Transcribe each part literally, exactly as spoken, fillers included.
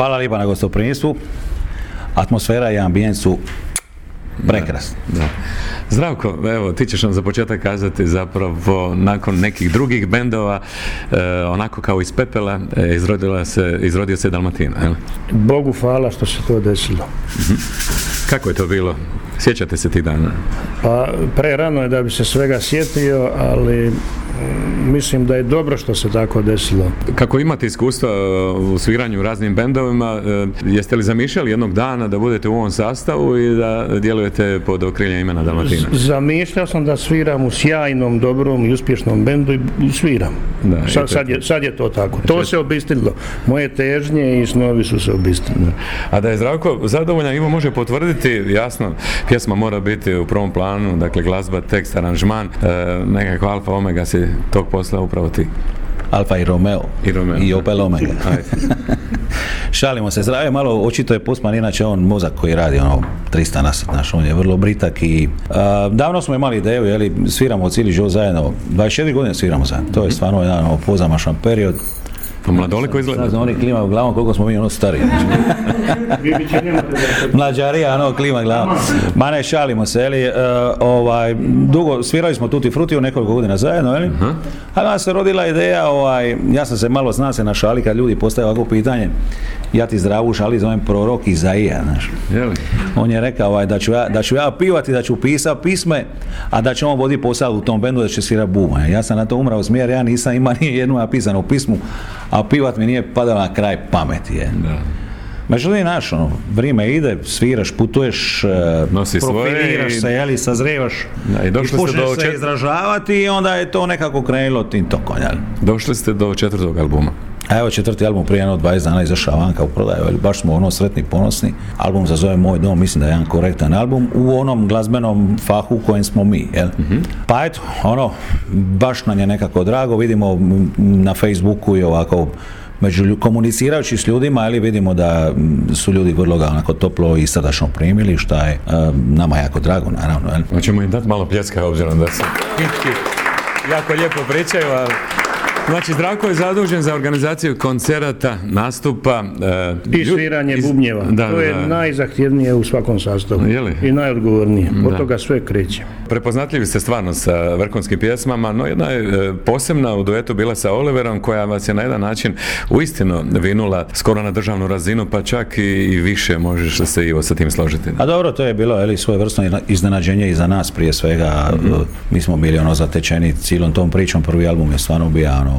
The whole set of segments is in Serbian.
Hvala lijepa na gostoprimstvu. Atmosfera i ambijent su prekrasni. Da, da. Zdravko, evo, ti ćeš nam za početak kazati zapravo nakon nekih drugih bendova, e, onako kao iz pepela, e, izrodila se, izrodio se Dalmatina. Jel? Bogu hvala što se to desilo. Uh-huh. Kako je to bilo? Sjećate se tih dana? Pa prerano je da bi se svega sjetio, ali mislim da je dobro što se tako desilo. Kako imate iskustva u sviranju u raznim bendovima, jeste li zamišljali jednog dana da budete u ovom sastavu i da djelujete pod okriljem imena Dalmatina? Zamišljao sam da sviram u sjajnom, dobrom i uspješnom bendu i sviram. Da, sad, sad, je, sad je to tako. To se obistinilo. Moje težnje i snovi su se obistinili. A da je Zdravko zadovoljan, Ivo može potvrditi, jasno, pjesma mora biti u prvom planu, dakle glazba, tekst, aranžman, e, nekakva alfa omega si tog posla upravo ti. Alfa i Romeo. I Romeo. I Opel Omega. Šalimo se. Zdravije malo, očito je Postman, inače on mozak koji radi ono trista na sat, naš, on je vrlo britak i a, davno smo imali ideju, jeli, sviramo cijeli život zajedno, dvadeset četiri godine sviramo zajedno, to je stvarno jedan ono, pozamašan period. Pa mladoliko izgleda. Sad oni klima u glavom koliko smo mi ono stariji. Mlađarija, ono klima glavom. Ma ne, šalimo se, jeli, uh, ovaj, dugo, svirali smo Tutti Frutti u nekoliko godina zajedno, jeli? Uh-huh. A nas se rodila ideja, ovaj, ja sam se malo zna se na šali kad ljudi postaju ovako pitanje, ja ti Zdravu šali zovem prorok Izaija, znaš. Jeli? On je rekao ovaj, da, ću ja, da ću ja pivati, da ću pisati pisme, a da će on voditi posao u tom bendu, da će svirati buma. Ja sam na to umrao smjer, ja nisam imao ni jednu napisanu pismu, a pivat mi nije padalo na kraj pameti. Je. Da. Međutim, naš, ono, vrijeme ide, sviraš, putuješ, nosi profiliraš svoje se, jeli, sazrijevaš, da, i došli ste do se čet... izražavati i onda je to nekako krenulo tim tokom. Jeli. Došli ste do četvrtog albuma. A evo četvrti album prije jedno dvadeset dana izašao vanka u prodaju, baš smo ono sretni, ponosni. Album se zove Moj dom, mislim da je jedan korektan album u onom glazbenom fahu u kojem smo mi. Jel? Mm-hmm. Pa eto, ono, baš nam je nekako drago, vidimo na Facebooku i ovako među komunicirajući s ljudima, ali vidimo da su ljudi vrlo ga onako toplo i srdačno primili, što je uh, nama jako drago, naravno. Jel? Hoćemo im dati malo pljeska, obzirom da se jako lijepo pričaju, a znači, Zdravko je zadužen za organizaciju koncerata, nastupa i sviranje iz... bubnjeva. Da, to je da. najzahtjevnije u svakom sastavu. I najodgovornije. Od da. toga sve kreće. Prepoznatljivi ste stvarno sa vrhunskim pjesmama, no jedna je posebna u duetu bila sa Oliverom, koja vas je na jedan način uistinu vinula skoro na državnu razinu, pa čak i, i više. Možeš se Ivo sa tim složiti. A dobro, to je bilo eli, svojevrsno iznenađenje i za nas prije svega. Mm-hmm. Mi smo bili ono zatečeni cijelom tom pričom. Prvi album je stvarno bio ono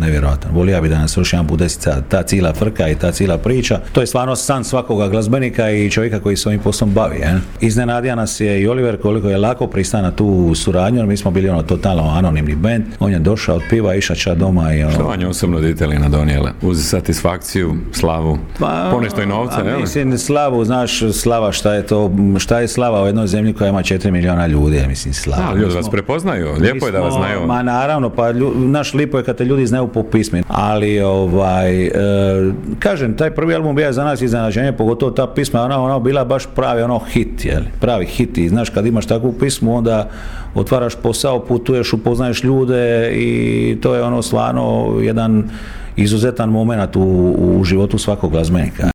nevjerojatan. Volio bi da nas još jedan bude ta cijela frka i ta cijela priča. To je stvarno san svakoga glazbenika i čovjeka koji se ovim poslom bavi. Je. Iznenadio nas je i Oliver koliko je lako pristao na tu suradnju. Mi smo bili ono totalno anonimni band. On je došao od piva, išao ča doma i ono... Što vam je osobno ditelina donijela? Uz satisfakciju, slavu, pa, ponešto i novca, a, a mislim, slavu, znaš, slava, šta je to, šta je slava u jednoj zemlji koja ima četiri milijuna ljudi, mislim, slava. Da, ljudi vas prepoznaju, lijepo je da vas znaju. Ma naravno, pa lju, naš lipo je kad te ljudi znaju po pismi, ali ovaj, e, kažem, taj prvi album bio za nas iznenađenje, pogotovo ta pisma, ona, ona bila baš pravi ono hit, jel? Pravi hit i znaš, kad imaš takvu pismu, onda otvaraš posao, putuješ, upoznaješ ljude i to je ono stvarno jedan izuzetan moment u, u životu svakog glazbenika.